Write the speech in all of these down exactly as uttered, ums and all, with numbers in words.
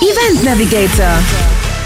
Event Navigator.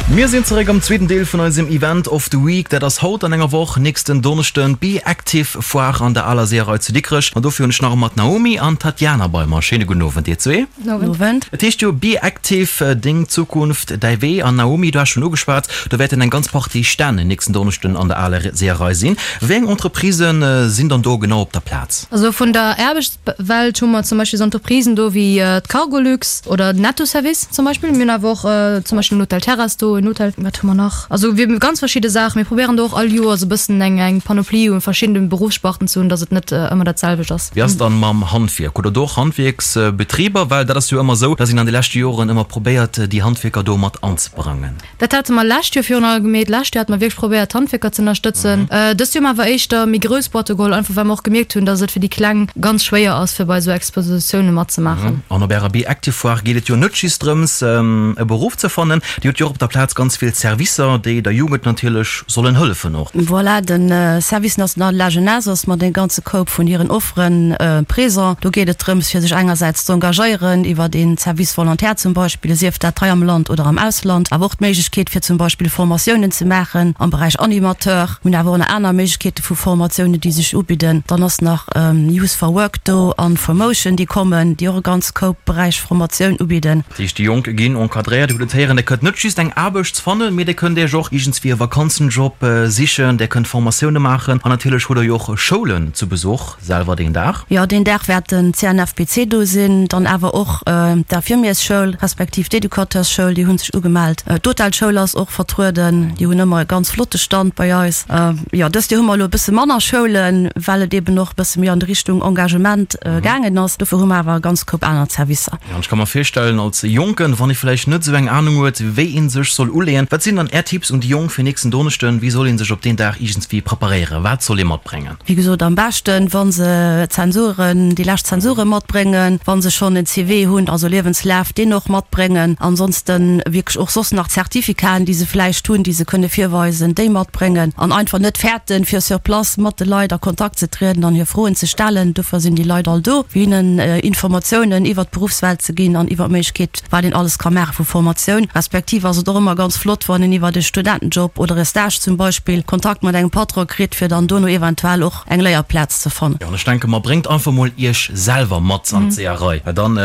Mir sinn zeréck am zweeten Deel vun eisem Event of the Week. Dat ass haut an enger Woch, nächsten Donneschden, d'Be Active Foire an der Aler Seeërei zu Dikrech. An dofir hunn ech nach ëmmer d'Naomi an d'Tatjana bei mer. Schéine gudden Owend dir zwee. Owend. Et heescht jo Be Active, deng Zukunft, däi Wee. An Naomi, du has schonn ugeschwat, do wäerten eng ganz Partie Stänn nächsten Donneschden an der Aler Seeërei sinn. Wéi eng Entreprisen sinn dann do genau op der Plaz? Also vun der Aarbechtswelt hu mer zum Beispill esou Entreprisen do wéi d'Cargolux oder den Netto Service zum Beispill. Mir hunn awer och zum Beispill den Hotel Terrasse do, en Hotel, wat hu mer nach? Also wir hu ganz verschidde Saachen. Mir probéieren do och all Joer esou e bëssen eng eng Panoplie u verschiddene Beruffssparten ze hunn, dass et net ëmmer dat selwecht ass. Wéi ass et dann mam Handwierk? Hutt Der do och Handwierksbetriber? Well dat ass jo ëmmer esou, dass een an de leschte Joren ëmmer probéiert, déi Handwierker do mat anzebrangen. Dat hate mer lescht Joer virun allem gemeet. Lescht Joer hate mer wierklech probéiert, d'Handwierker ze ënnerstëtzen. Dëst Joer hu mer awer éischter méi grouss Boîte geholl, einfach well mer och gemierkt hunn, dass et fir déi Kleng ganz schwéier ass, fir bei esou Expositioune matzemaachen. An op ärer Be Active Foire geet et jo net just drëms, e Beruff ze fannen. Dir hutt jo och op der Plaz ganz vill Servicer, déi der Jugend natierlech sollen hëllefen och. Voilà, de Service national de la jeunesse ass mat engem ganze Koup vun hiren Offere présent. Do geet et drëms, fir sech engersäits z'engagéieren iwwert een Service volontaire zum Beispill, sief dat hei am Land oder am Ausland, awer och d'Méiglechkeet fir zum Beispill Formatiounen ze maachen am Beräich Animateur. Mir hunn awer och nach aner Méiglechkeete vu Formatiounen, déi sech ubidden. Dann ass nach Youth for Work do an Formotion, déi kommen, déi och e ganz Koup Beräich Formatioun ubidden. Dat heescht, déi Jonk ginn encadréiert. Dir hutt et héieren, Dir kënnt net just eng Aarbecht fannen, mee Dir kënnt Iech och iergendswéi e Vakanzenjob sichen, Dir kënnt Formatioune maachen an natierlech hutt Der jo och Schoulen zu Besuch selwer deen Dag. Jo, deen Dag wäert den C N F P C do sinn, dann awer och d'Infirmiersschoul respektiv d'Educateursschoul, déi hu sech ugemellt. D'Hotelschoul ass och vertrueden, déi hunn ëmmer e ganz flotte Stand bei eis. Jo, dëst Joer hu mer elo e bësse manner Schoulen, well et eben och e bësse méi an Richtung Engagement gaangen ass. Dofir hu mer awer e ganz Koup aner Servicer. Jo, an ech ka mer virstellen, als Jonken, wann ee vläicht net esou eng Anung huet, wéi ee sech soll uleeën, wat sinn dann Är Tipps un déi Jonk fir nächsten Donneschden? Wéi soll ee sech op deen Dag iergendswéi preparéieren? Wat soll ee matbréngen? Wéi gesot, am beschten, wa se Zensuren, déi lescht Zensure matbréngen, wa se schonn en C V hunn, also Liewenslaf, deen och matbréngen. Ansonsten wierklech och soss nach Zertifikaten, déi se vläicht hunn, déi se kënne virweisen, déi matbréngen an einfach net fäerten, fir sur place mat de Leit a Kontakt ze trieden an hir Froen ze stellen. Dofir sinn déi Leit all do, fir hinnen Informatiounen iwwert d'Beruffswelt ze ginn an iwwer d'Méiglechkeet, wat een alles ka maache vu Formatioun. Respektiv ass et och ëmmer ganz flott, wann een iwwert e Studentenjob oder e Stage zum Beispill Kontakt mat engem Patron kritt, fir dann dono eventuell och eng Léierplaz ze fannen. Jo, an ech denke mer, bréngt einfach mol Iech selwer mat an d'Seeërei, well dann,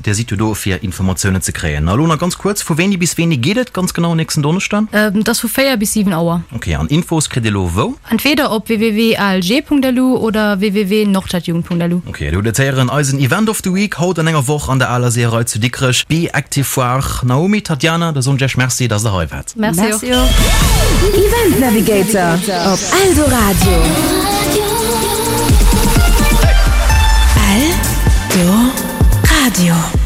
Dir sidd jo do fir Informatiounen ze kréien. A lo nach ganz kuerz, Vu wéini bis wéini geet et ganz genau nächsten Donneschden? Et ass vu véier bis siwen Auer. Ok, an Infos kritt Dir lo wou? Entweder op W W W punkt A L G punkt L U oder W W W punkt nordstadjugend punkt L U. Ok, Dir hutt et héieren, eisen Event of the Week haut an enger Woch an der Aler Seeërei zu Dikrech, Be Active Foire. Naomi, Tatjana, da soen ech Iech Merci, dass Der hei waart. Merci och. Merci och. Event Navigator op Eldoradio. Eldoradio.